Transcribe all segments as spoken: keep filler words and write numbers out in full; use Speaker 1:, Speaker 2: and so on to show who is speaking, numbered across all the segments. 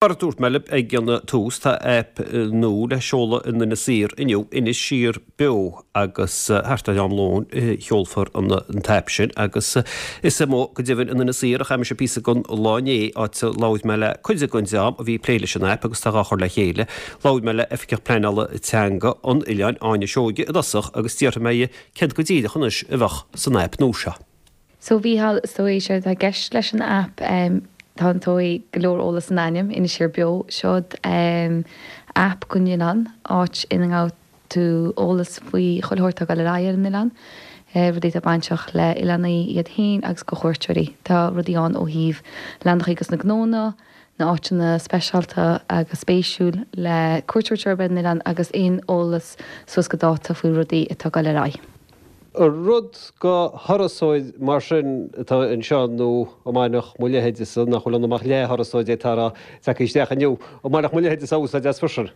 Speaker 1: Mar a dúirt mé libh ag an tús tá aip nua le seoladh in Inis Oírr inniu Inis Siar Beo agus thart ar am lóin seolfar an an t-aip sin agus is amuigh go deimhin in Inis Oírr a chaith mise píosa den lá inné áit a labhair mé le cuid den dream a bhí ag plé leis an aip agus tá á chur le chéile. Labhair mé le Oifigeach Pleanála Teanga an Oileáin Áine Seoige i dtosach agus d'fhiafraigh mé di céard go díreach anois a bheadh san aip nua seo.
Speaker 2: So bhí so é sé tá gceist leis an aip um, tá an tóí go leor eolas san ainm Inis Siar Beo seod um, aip don oileán áit ina ngabh tú eolas faoi chuile shórt atá ag dul ar aghaidh ar an oileán. Uh, rudaí atá bainteach le oileánaigh iad féin agus go chuairteoirí. Tá rudaí ann ó thaobh leathanachaí agus na gnónna, na áiteanna speisialta agus spéisiúil le cuairteoir ar an oileán agus aon eolas suas go dáta faoi rudaí atá ag dul ar aghaidh.
Speaker 1: Rud go thurasóir mar sin atá anseo nó a mbainfeadh mo leithéidese nach bhfuil amach le thurasóir tá tagtha isteach inniu a mbainfeadh mo leithéidese úsáid as freisin.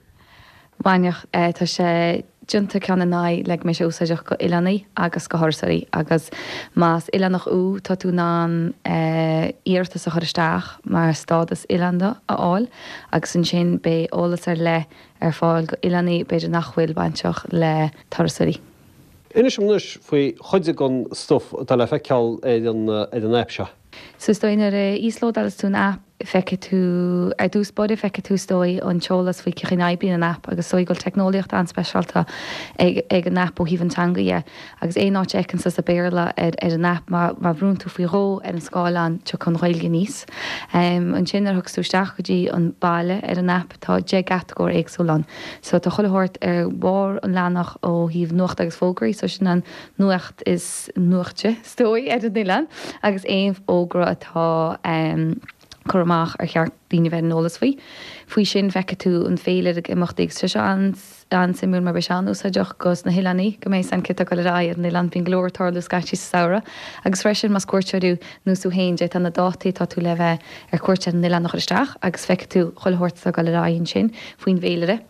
Speaker 2: Bhainfeadh tá sé déanta ceann in aghaidh le go mbeidh sé úsáideach go oileánaigh agus go thurasóirí agus más oileánach thú tá tú in ann iarratas a chur isteach mar stádas oileánda a fháil agus ansin beidh eolas ar leith ar fáil go oileánaigh b'fhéidir nach bhfuil bainteach le turasóirí.
Speaker 1: Inis anois faoi chuid den stuif atá le feiceáil ar an ar an aip seo.
Speaker 2: So is dóigh nuair a íoslódálas tú an aip feicfidh tú ar dtús báire feicfidh tú is dóigh an t-eolas faoi cén chaoi a n-oibríonn an aip agus is dóigh go bhfuil teicneolaíocht an-speisialta ag, ag an aip ó thaobh an teanga dhe agus aon áit a fheiceann sa Béarla ar, ar an aip má, má bhrúnn tú faoi dhó ar an scáileán tiocfaidh an Ghaeilge aníos. Um, ansin nuair a thugas tú isteach go dtí an baile ar an aip tá deich gcatagóir éagsúil ann. So tá chuile shórt ar bharr an leathanach ó thaobh nuacht agus fógraí, so sin an nuacht is nuachta is dóigh ar an oileán agus aon fhógra atá um, chur amach ar cheart daoine bheith an eolas faoi. Faoi sin feicfidh tú an féilire ag imeachtaí agus sé an an-suimiúil mar beidh sé an-úsáideach gos na hoileánaigh go mbeidh san cad atá ag dul ar aghaidh ar an oileán bíonn go leor ag tarlú scaití sa samhradh agus freisin más cuairteoir thú nó tú féin d'fhéadfá na dátaí atá tú le bheith ar cuairt ar an oileán a chur isteach agus feicfidh tú chuile shórt atá ag dul ar aghaidh ansin faoin bhféilire.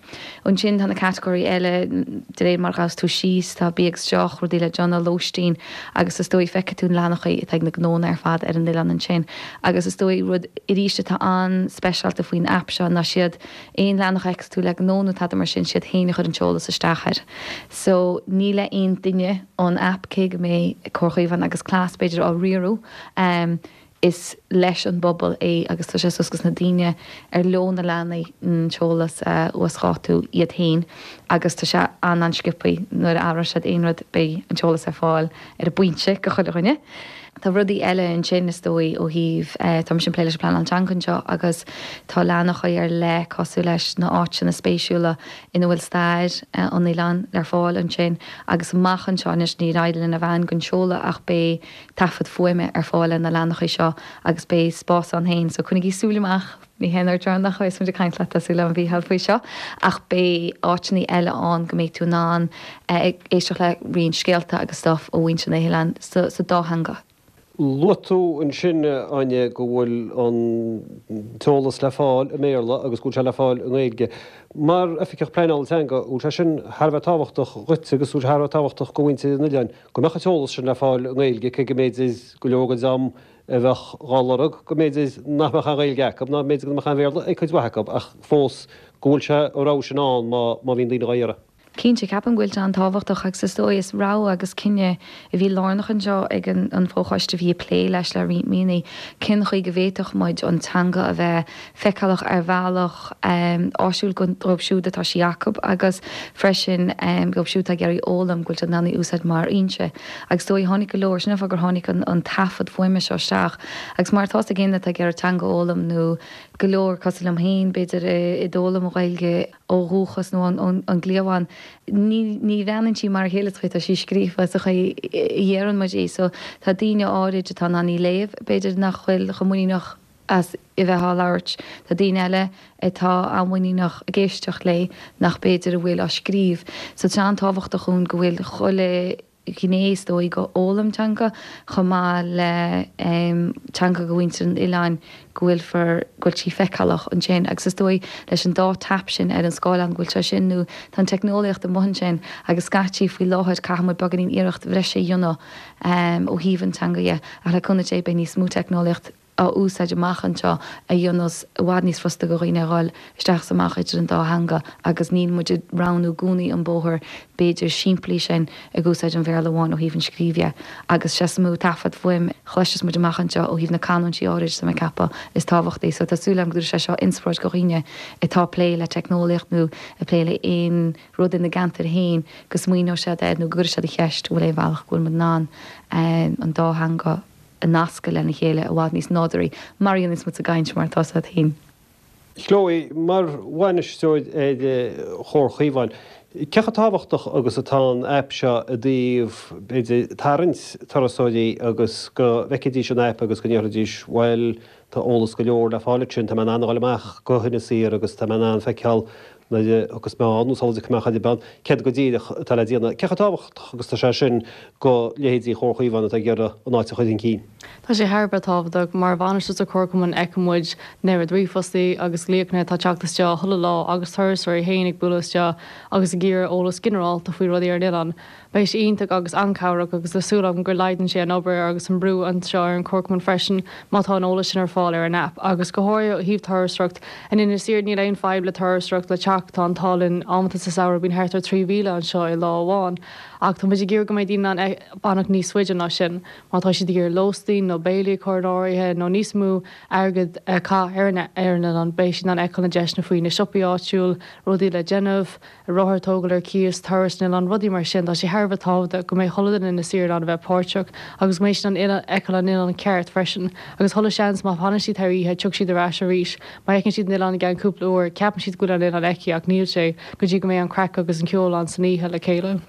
Speaker 2: Ansin tá na catagóirí eile de réir mar ghabhas tú síos tá bia agus deoch rudaí le déanamh lóistín agus is dóigh feicfidh tú na leathanachaí atá ag na gnónna ar fad ar an oileán ansin agus is dóigh rud arís atá an-speisialta faoin aip seo ná siad aon leathanach a fheiceas tú le gnó nó tada mar sin siad féin a chur an t-eolas isteach air. So ní le aon duine an aip cé go mbeidh Comhar Chaomhán agus Cleas b'fhéidir á riaradh um, is leis an bpobal é agus tá sé suas na daoine ar leo na leathanaigh an t-eolas a uasdátú iad féin agus tá sé an an-sciobtha nuair a athraíonn siad aon rud beidh an t-eolas ar fáil ar an bpointe go chuile dhuine. Tá rudaí eile ansin is dóigh ó thaobh tá sin plé leis an pleanáil teanga anseo agus tá leathanachaí ar leith cosúil leis na áiteanna spéisiúla ina bhfuil stair an oileáin ar fáil ansin agus amach anseo anois ní raibh lena bhean gon seoladh ach beidh taifead fuaime ar fáil ar na leathanachaí seo agus beidh spás ann féin so coinnigí súil amach ní hé ar deireanach is muid ag caint leat súil an bhíhall faoi seo ach beidh áiteanna eile ann go mbeidh tú in ann ag éisteacht le roinnt scéalta agus stuff ó mhuintir na hoileáin sa, sa dá theanga.
Speaker 1: Luaigh tú ansin Áine go bhfuil an t-eolas le fáil i mBéarla agus go bhfuil sé le fáil i nGaeilge. Mar oifigeach pleanála teanga bhfuil sé sin thar a bheith tábhachtach dhuit agus bhfuil sé thar a bheith tábhachtach go mhuintir an oileáin go mbeadh an t-eolas sin le fáil i nGaeilge cé go mb'fhéidir go leor den dream a bheadh dhá lorg go mb'fhéidir nach mbeadh an Ghaeilge acu ná mb'fhéidir go mbeadh an Béarla ag cuid mhaith acu ach fós go bhfuil sé an rogha sin ann má má bhíonn daoine dhá iarraidh.
Speaker 2: Cinnte ceapaim go bhfuil sé an-tábhachtach agus is dóigh is rogha agus cinneadh a bhí lárnach anseo ag an, an fóchoiste bhí plé leis le roinnt míonna cén chaoi go bhféadfadh muid an teanga a bheith feiceálach ar bhealach um, áisiúil dóibh siúd atá sí acu agus freisin um, dóibh siúd ag iarraidh foghlaim go bhfuil in ann í úsáid mar fhoinse. Agus dóigh tháinig go leor sin gur tháinig an, an taifead fuaime seo isteach agus mar tá ag éinne atá ag iarraidh teanga a fhoghlaim nó go leor cosúil liom féin b'fhéidir i d'fhoghlaim an Ghaeilge ó dhúchas nó an, an, an cliabhán ní ní bhreathnaíonn sí mar a chéile tá sí scríofa sa chaoi a ndéarann muid í so tá daoine áirid atá in ann í léamh b'fhéidir nach bhfuil chomh muiníneach as i bheith á labhairt Tá daoine eile atá an-mhuiníneach ag éisteacht léi nach b'fhéidir a bhfuil á scríobh so tá an-tábhachtach dúinn go bhfuil chuile ghné is dóigh go fhoghlaim teanga chomh maith le um, teanga go mhuintir an oileáin go bhfuil fur go bhfuil sí feiceálach ansin agus is dóigh leis an dá tap sin ar an scáileán go bhfuil sé sin nó tá an teicneolaíocht amuigh ansin agus scaití faoi láthair caithfidh muid beagáinín iarracht bhreise a dhéanamh um, ó thaobh an teanga dhe ach le cúnamh Dé beidh níos mó teicneolaíocht á úsáid amach anseo a dhéanfas i bhfad níos fusa do dhaoine a dhul isteach is amach idir an dá theanga agus níl muid ag roghnú i gcónaí an bóthar b'fhéidir simplí sin ag úsáid an Bhéarla amháin ó thaobh an scríobh dhe agus sé is mó taifead fuaim chloisfeas muid amach anseo ó thaobh na canúintí áirid tá mé ag ceapadh is tábhachtaí so tá súil agam go dtabharfaidh sé seo inspioráid do dhaoine atá ag plé le teicneolaíocht nó ag plé le aon rud ina gceantar féin go smaoineoidh siad air nó go gcuirfidh siad an cheist bhfuil aon bhealach go bhfuil muid in ann an dá theanga a nascadh lena chéile i bhfad níos nádúraí mar a dhéananns muid sa gcaint mar atá siad féin.
Speaker 1: Chloe, mar bhainisteoir ar Chomhar Chaomháin, cé chomh tábhachtach agus atá an aip seo i dtaobh, b'fhéidir, tarraingt turasóirí agus go bhfeicfidís an aip agus go ndéarfaidís, bhuel, tá eolas go leor le fáil ansin, tá mé in ann a dhul amach go hInis Oírr agus tá mé in ann feiceáil nuair a thiocfas mé ann, nó sula dtiocfaidh mé chor ar bith ann, céard go díreach atá le déanamh. Cé chomh tábhachtach agus atá sé sin do leithéidí Chomhar Chaomháin atá ag iarraidh an áit a chur chun cinn?
Speaker 3: Tá sé thar a bheith tábhachtach. Mar bhainisteoir sa Chomharchumann feiceann muid na ríomhphostaí agus glaochanna atá ag teacht isteach chuile lá agus turasóirí féin ag bualadh isteach agus ag iarraidh eolas ginearálta faoi rudaí ar an oileán. Beidh sé iontach agus an-chabhrach agus tá súil agam gur laghdaíonn sé an obair agus an brú anseo ar an Chomharchumann freisin má tá an eolas sin ar fáil ar an aip. Agus go háirithe ó thaobh turasóireacht in Inis Oírr níl aon fadhb le turasóireacht le teacht, tá an t-ádh linn amanta sa samhradh bíonn thart ar trí mhíle anseo i lá amháin. Ach tá muid ag iarraidh go mbeidh daoine in ann fanacht níos faide ná sin má tá siad ag iarraidh lóistín nó béilí a chur in áirithe nó níos mó airgead a chaitheamh ar an ar an oileán beidh siad in ann feiceáil na deiseanna faoi na siopaí áitiúil, rudaí le déanamh. rothar a thógáil ar cíos, turas san oileán, rudaí mar sin. Tá sé thar a bheith tábhachtach go mbeidh chuile duine in Inis Oírr in ann a bheith páirteach agus go mbeidh siad in ann fheiceáil an oileán ceart freisin. Agus chuile seans má fhanann siad thar oíche tiocfaidh siad ar ais arís. Má fheiceann siad an oileán i gceann cúpla uair, ceapann siad go bhfuil an oileán feicthe ach níl sé go dtí go mbeidh an craic agus an ceol ann san oíche le chéile.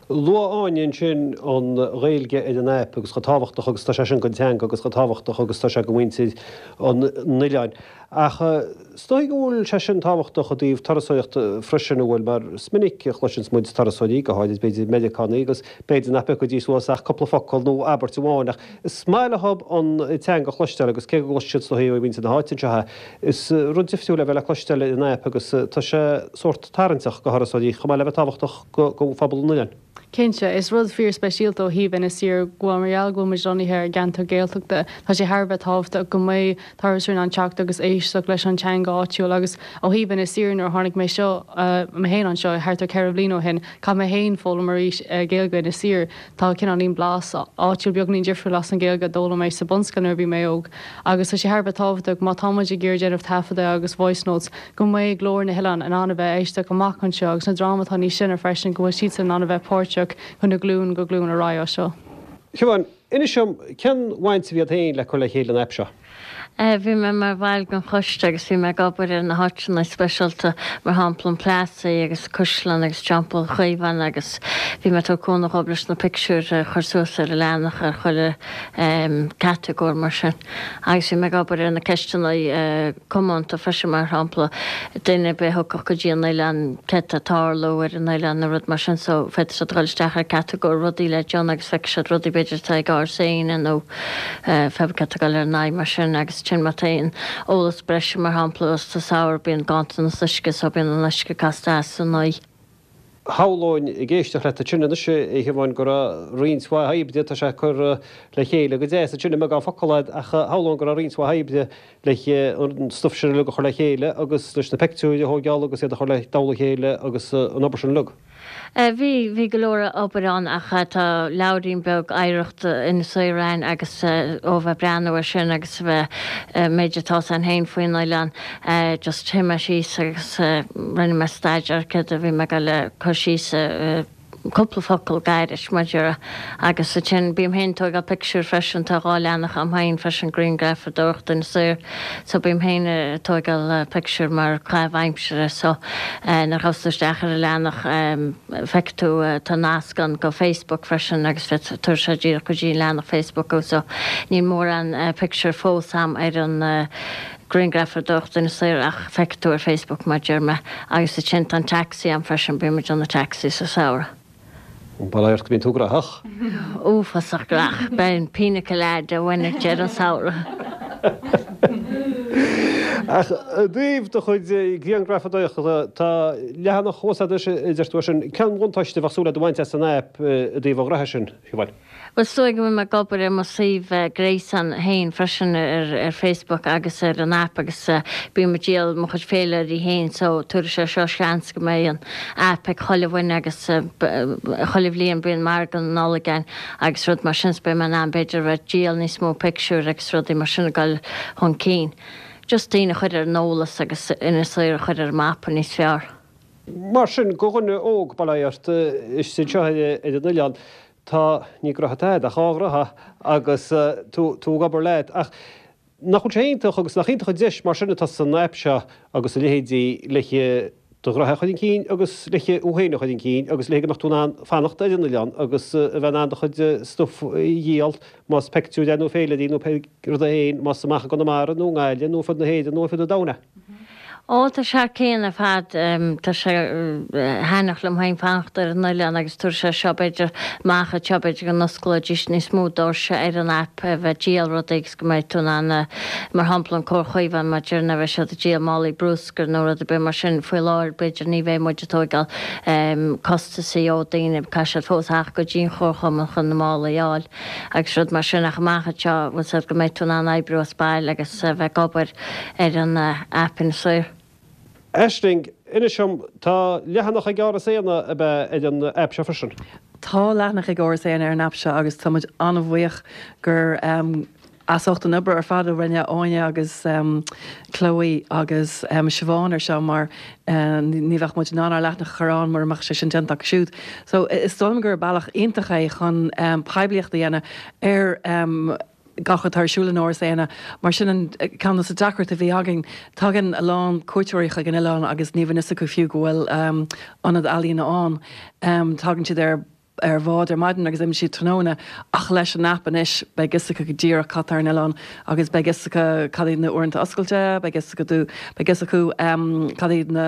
Speaker 1: Luaigh Áine ansin an Ghaeilge ar an aip agus chomh tábhachtach agus tá sé sin don teanga agus chomh tábhachtach agus tá sé do mhuintir an oileáin. Ach is dóigh go bhfuil sé sin tábhachtach i dtaobh turasóireachta freisin, an bhfuil? Mar is minic a chloiseanns muid turasóirí, go háirid b'fhéidir Meiriceánaigh, agus b'fhéidir nach bpiocfaidís suas ach cúpla focal nó abairt amháin ach is maith leo an teanga a chloisteáil agus cé go gcloisfidh siad is dóigh ó mhuintir na háite anseo é, is rud difriúil é a bheith le cloisteáil ar an aip agus tá sé sórt tarraingteach do thurasóirí chomh maith le bheith tábhachtach do phobal an oileáin.
Speaker 3: Cinnte, is rud fíor speisialta ó thaobh Inis Oírr go bhfuil mar gheall go bhfuil muid lonnaithe ar gceantar Gaeltachta, tá sé thar a bheith tábhachtach go mbeidh turasóirí in ann teacht agus éisteacht leis an teanga áitiúil agus ó thaobh Inis Oírr nuair a tháinig mé seo mé féin anseo thart ar ceithre bhliain ó shin, chaith mé féin foghlaim arís Gaeilge Inis Oírr. Tá cineáilín blas áitiúil beagáinín difriúil as an Ghaeilge a d'fhoghlaim mé sa bunscoil nuair a bhí mé óg agus tá sé thar a bheith tábhachtach má tá muid ag iarraidh déanamh taifeadadh agus voice notes go mbeidh glór na hoileáin in ann a bheith éisteach amach anseo agus na dream atá níos sine freisin go bhfuil siadsan in ann a bheith páirteach chun na glúin go glúin ar aghaidh as seo.
Speaker 1: Siobhán, inis dom, cén bhaint a bhí agat féin le cur le chéile an aip seo?
Speaker 4: Bhí mé mar bhall den choiste agus bhí mé ag obair ar na háiteanna speisialta, mar shampla an Plassey agus Caisleán agus Teampall Chaomháin agus bhí mé ag tabhairt cúnamh dhóibh leis na pictiúir a chur suas ar an leathanach ar chuile catagóir mar sin. Agus bhí mé ag obair ar na ceisteanna comónta freisin, mar shampla, duine ar bith a thiocfadh go dtí an oileán, céard tá ag tarlú ar an oileán nó rud mar sin so féadfaidh siad dul isteach ar catagóir rudaí le déanamh agus feicfidh siad rudaí b'fhéidir atá ag Áras Éanna nó pé cad tá ag dul ar aghaidh mar sin agus ansin má tá aon eolas breise mar shampla sa samhradh bíonn ganntanas uisce so bíonn an uisce casta as san oíche.
Speaker 1: Shamhlóinn ag éisteacht leat ansin anois, a Shiobháin, go raibh roinnt mhaith oibre, tá sé curtha le chéile go deas ansin i mbeagán focal agat, ach shamhlóinn go raibh roinnt mhaith oibre le an stuif sin uilig a chur le chéile agus leis na peictiúir a thóigeáil agus iad a chur le dtoll a chéile agus an obair sin uilig.
Speaker 4: Bhí, bhí go leor obair ann ach tá leabhairín beag oidhreacht Inis Oírr a'inn agus ó bheith breathnú ar sin agus a bheith, méid atá 's a'inn féin faoin oileán, just shuigh mé síos agus rinne mé staidéar céard a bhí mé ag dul a cur síos i gcúpla focal gairid mar déarfá agus ansin bím féin ag tóigeáil pictiúir freisin, tá dhá leathanach a'm féin freisin grianghrafadóireacht Inis Oírr so bím féin ag tóigeáil pictiúir mar chaitheamh aimsire so nuair a ghabhfas tú isteach ar an leathanach feicfidh tú tá nasc ann go Facebook freisin agus tabharfaidh sé díreach go dtí an leathanach Facebook thú so níl mórán pictiúr fós a'm ar an grianghrafadóireacht Inis Oírr ach feicfidh tú ar Facebook mar deir mé agus ansin tá an taxi a'm freisin bím ag déanamh taxi sa samhradh.
Speaker 1: Bail ó Dhia ort go mbíonn tú graitheach.
Speaker 4: Uafásach graitheach. Beidh an pina colada uainn ag deireadh an samhradh.
Speaker 1: Ach i dtaobh do chuid grianghrafadóireachta, tá leathanach thuas agat a deir tú sin. Cén bhuntáiste a bheadh súil agat a bhaint as an aip i dtaobh an ghraithe sin, Siobhán?
Speaker 4: Bhuel, is dóigh go bhfuil mé ag obair ar mo suíomh gréasáin féin freisin ar Facebook agus ar an aip agus bím ag díol mo chuid féilirí féin so tabharfaidh sé seo seans go mbeidh an aip ag chuile dhuine agus chuile bhliain bíonn margadh na Nollag ann agus rud mar sin so beidh mé in ann b'fhéidir a bheith ag díol níos mó pictiúr agus rudaí mar sin ag dul chun cinn. Just daoine a chur ar an eolas agus Inis Oírr a chur ar an mapa níos fearr.
Speaker 1: Mar sin, do dhuine óg, bail ó Dhia ort, istigh anseo ar an oileán, tá, ní gnoithe atá agat ach dhá ghnoithe agus tú ag obair leat. Ach nach bhfuil sé iontach agus nach iontach an deis mar sin atá san aip seo agus a leithéidí le do ghnoithe a chur chun cinn agus le thú féin a chur chun cinn agus le go mbeadh tú in ann fanacht ar an oileán agus a bheith in ann do chuid stuif a dhíol, más peictiúir é nó féilirí nó pé rud é féin, más amach i gConamara nó i nGaillimh nó ar fud na hÉireann nó ar fud an domhain é.
Speaker 4: Ó, tá sé thar cionn ar fad. Tá sé thaitneamhach liom féin fanacht ar an oileán agus tabharfaidh sé seo b'fhéidir amach anseo b'fhéidir go n-osclóidís níos mó doirse ar an aip a bheith ag díol rudaí agus go mbeidh tú in ann mar shampla an Comhar Chaomhán mar deir na bheidh siad ag díol málaí brúscair nó rud ar bith mar sin faoi láthair b'fhéidir ní bheidh muid ag tóigeáil costasaí ó daoine caithfidh siad fós theacht go dtí an Chomharchumann chun na málaí a fháil agus rud mar sin ach amach anseo bhfuil 's agat go mbeidh tú in ann oibriú as baile agus a bheith ag obair ar an aip Inis Oírr.
Speaker 1: Aisling, inis dom, tá leathanach ag Áras Éanna ab ea ar an aip seo freisin?
Speaker 5: Tá leathanach ag Áras Éanna ar an aip seo agus tá muid an-bhuíoch gur as ucht an obair ar fad a rinne Áine agus Chloe agus Siobhán ar seo mar ní bheadh muid in ann ár leathanach a chur ann mura mbeadh sé sin déanta acu siúd. So is dóigh liom gur bealach iontach é chun poiblíocht a dhéanamh ar gach atá ar siúl in Áras Éanna. Mar sin an ceann de na deacrachtaí a bhí againn. Tagann a lán cuairteoirí chuig an oileán agus ní bhíonn fhios acu fiú go bhfuil ionad ealaíona ann. Tagann siad ar ar bhád ar maidin agus imíonn siad tráthnóna ach leis an aip anois beidh fhios acu go díreach cad tá ar an oileán agus beidh fhios acu cad iad na uaireanta oscailte, beidh fhios acu beidh fhios acu cad iad na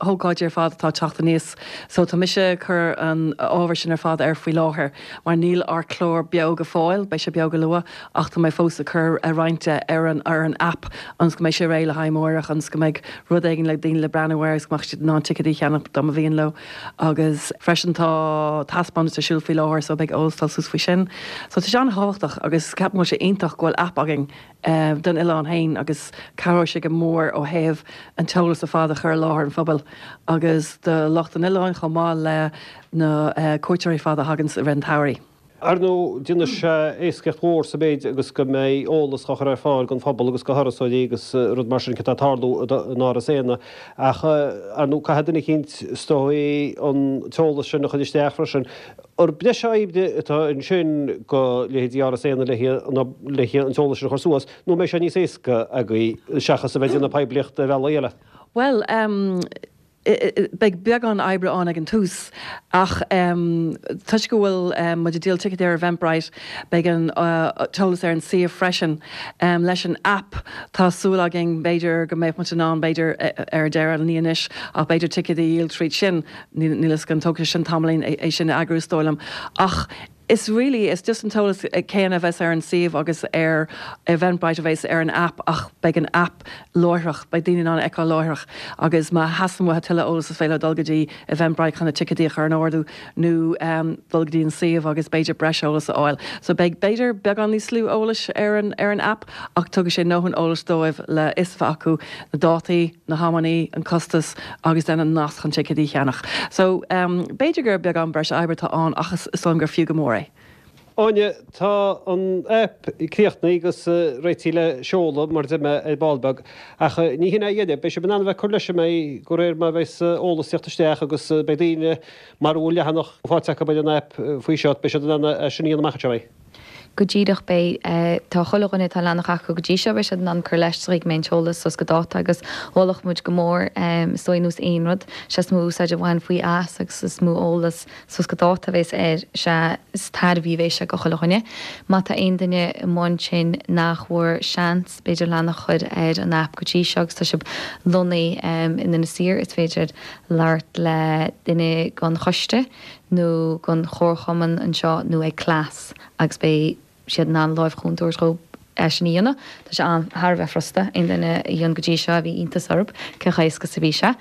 Speaker 5: hócáidí ar fad atá ag teacht aníos. So tá mise ag cur an ábhar sin ar fad air faoi láthair mar níl ár clár beo go fóill, beidh sé beo go luath ach tá mé fós ag cur roinnt de ar an ar an aip ionas go mbeidh sé réidh le haghaidh amárach ionas go mbeidh rud éigin le daoine le breathnú air agus go mbeadh siad in ann ticéadaí a cheannach dá mba mhian leo agus freisin tá taispeántas ar siúl faoi láthair so beidh eolas dul suas faoi sin. So tá sé an-thábhachtach agus ceapaim go bhfuil sé iontach go bhfuil aip againn don oileán féin agus cabhróidh sé go mór ó thaobh an t-eolas ar fad a chur i láthair an phobail agus do lucht an oileáin chomh maith le na cuairteoirí ar fad a thagann i rith an tsamhraidh.
Speaker 1: Ar ndóigh, déanfaidh sé éascaíocht mhór sa mhéid agus go mbeidh eolas á chur ar fáil don phobal agus do thurasóirí agus rud mar sin cad tá ag tarlú in Áras Éanna. Ach, ar ndóigh, caithfidh duine eicínt, is dóigh, an t-eolas sin a chur isteach freisin. Ar breis oibre atá ansin do leithéidí Áras Éanna le an t-eolas sin a chur suas, nó an mbeidh sé níos éasca agaibh seachas a bheith ag déanamh poiblíochta ar bhealaí eile?
Speaker 5: Bhuel, beidh beagán oibre ann ag an tús ach toisc go bhfuil muid ag díol ticéid ar Eventbrite, beidh an t-eolas ar an suíomh freisin. Leis an aip, tá súil againn b'fhéidir go mbeadh muid in ann, b'fhéidir ar deireadh, ní anois, ach b'fhéidir ticéid a dhíol tríd sin. Níl fhios agam, tógfaidh sé sin tamaillín é sin a eagrú is dóigh liom. Ach is really, is just an t-eolas céanna a bheas ar an suíomh agus ar Eventbrite a bheas ar an aip ach beidh an aip láithreach, beidh daoine in ann a fheiceáil láithreach agus má theastaíonn uathu tuilleadh eolas is féidir leo dul go dtí Eventbrite chun na ticéadaí a chur in ordú nó dul go dtí an suíomh agus b'fhéidir breis eolas a fháil. So beidh b'fhéidir beagán níos lú eolais ar an ar an aip ach tugfaidh sé ndóthain eolais dóibh le fhios a bheith acu na dátaí, na hamannaí, an costas agus then an nasc chun ticéadaí a cheannach. So b'fhéidir gur beagán breis oibre atá ann ach is dóigh liom gur fiú go mór é.
Speaker 1: Áine, tá an aip críochnaithe agus réitithe le seoladh, mar a deir mé, ar ball beag. Ach ní hin é a dheireadh. Beidh sibh in ann a bheith ag cur leis an mbeidh, de réir mar a bheas eolas ag teacht isteach agus beidh daoine, mara bhfuil leathanach faighte acu ar an aip faoi seo, beidh siad in ann é sin a dhéanamh amach anseo, beidh?
Speaker 2: Go díreach, beidh. Tá chuile dhuine atá leathanach acu go dtí seo, beidh siad in ann cur leis sa chaoi go mbeidh an t-eolas suas go dáta agus mholfadh muid go mór, is dóigh, nós aon rud, sea is mó úsáid a bhain faoi as agus is mó eolas suas go dáta a bhéas air, sea is tairbhí a bhéas sé go chuile dhuine. Má tá aon duine amuigh ansin nach bhfuair seans, b'fhéidir leathanach a chur ar an aip go dtí seo agus tá sibh lonnaithe in Inis Oírr, is féidir labhairt le duine den choiste nó den chomharchumann anseo nó ag Cleas agus beidh siad in ann láimh chúnta a thabhairt dhóibh é sin a dhéanamh. Tá sé an thar a bheith furasta aon duine a dhein go dtí seo bhí iontas orthu cé chomh héasca is a bhí sé.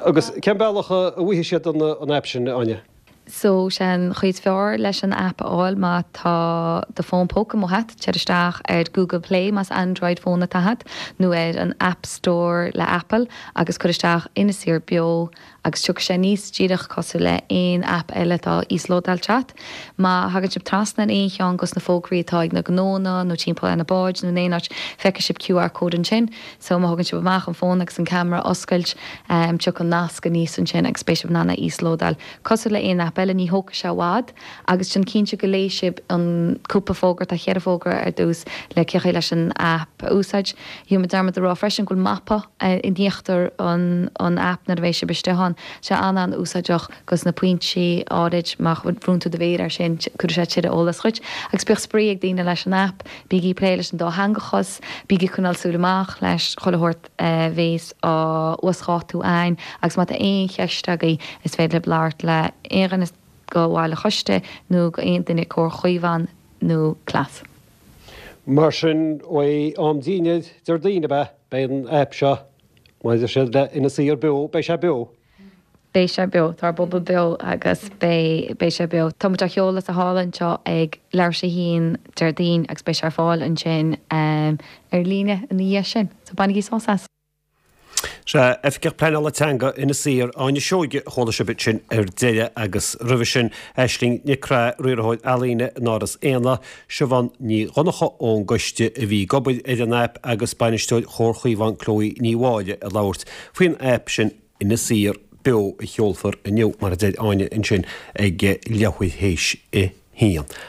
Speaker 1: Agus cén bealach a bhfaighidh siad an aip sin, Áine?
Speaker 2: So sé an chaoi is fearr leis an aip a fháil má tá do fón póca amuigh agat, téir isteach ar Google Play más Android phone atá agat nó ar an App Store le Apple agus cuir isteach Inis Oírr Beo agus tiocfaidh sé aníos díreach cosúil le aon aip eile atá íoslódáilte agat. Má thagann sibh trasna ar aon cheann dos na fógraí atá ag na gnónna nó timpeall ar na báid nó in aon áit, feicfidh sibh QR code ansin. So má thugann sibh amach an fón agus an ceamara a oscailt, tiocfaidh an nasc aníos ansin agus beidh sibh in ann é a íoslódáil. Cosúil le aon aip eile, ní thógfaidh sé i bhfad agus déan cinnte go léifidh sibh an cúpla fógra, tá cheithre fógra ar dtús le cén chaoi leis an aip a úsáid. Dhein mé dearmad a rá freisin go bhfuil mapa in íochtar an an aip nuair a bheidh sibh istigh ann. Sé an-an-úsáideach dos na pointí áirid má bhrúnn tú do mhéar air sin cuirfidh sé tuilleadh eolas dhuit. Agus bíodh spraoi ag daoine leis an aip, bígí ag plé leis an dátheangachas, bígí ag coinneáil súil amach leis chuile shórt a bhéas á uasdhátú a'ainn agus má tá aon cheist agaibh is féidir libh labhairt le aon dhuine go bhaill an choiste nó go aon duine Comhar Chaomhán nó Cleas.
Speaker 1: Mar sin, ó am dinnéir Déardaoin ab ea? Beidh an aip seo, maidir siad le Inis Oírr Beo, beidh sé beo.
Speaker 2: Beidh sé beo. Tá ár bpobal beo agus beidh, beidh sé beo. Tá muid á sheoladh sa halla anseo ag leathuair tar éis a haon Déardaoin agus beidh sé ar fáil ansin ar líne ina dhiaidh sin. So bainigí sás as!
Speaker 1: Sea, Oifigeach Pleanála Teanga Inis Oírr, Áine Seoige, a chuala sibh ansin ar deireadh agus roimhe sin Aisling Nic Craith, Riarthóir Ealaíne in Áras Éanna, Siobhán Ní Dhonncha ón gcoiste a bhí ag obair ar an aip agus Bainisteoir Chomhar Chaomhán Chloe Ní Mháille ag labhairt faoin aip sin Inis Oírr Beo a sheolfar inniu, mar a deir Áine ansin, ag leathuair théis a haon.